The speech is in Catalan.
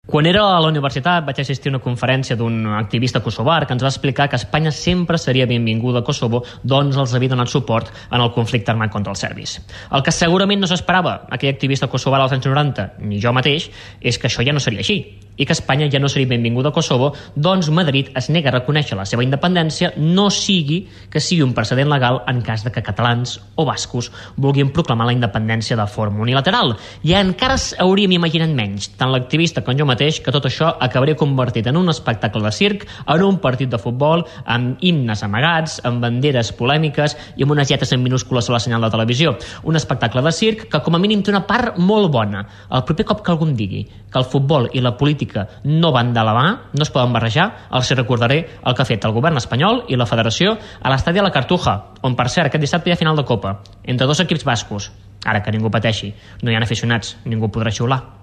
Quan era a la universitat vaig assistir a una conferència d'un activista kosovar que ens va explicar que Espanya sempre seria benvinguda a Kosovo, doncs els havia donat suport en el conflicte armat contra els serbis. El que segurament no s'esperava aquell activista kosovar als anys 90, ni jo mateix, és que això ja no seria així, i que Espanya ja no seria benvinguda a Kosovo, doncs Madrid es nega a reconèixer la seva independència, no sigui que sigui un precedent legal en cas de que catalans o bascos vulguin proclamar la independència de forma unilateral. I encara hauríem imaginat menys, tant l'activista com jo mateix, que tot això acabaria convertit en un espectacle de circ, en un partit de futbol, amb himnes amagats, amb banderes polèmiques i amb unes lletres en minúscules a la senyal de televisió. Un espectacle de circ que com a mínim té una part molt bona. El proper cop que algú em digui que el futbol i la política no van de la mà, no es poden barrejar, els recordaré el que ha fet el govern espanyol i la federació a l'estadi de la Cartuja, on per cert aquest dissabte hi ha final de Copa, entre dos equips bascos. Ara que ningú pateixi, no hi ha aficionats, ningú podrà xiular.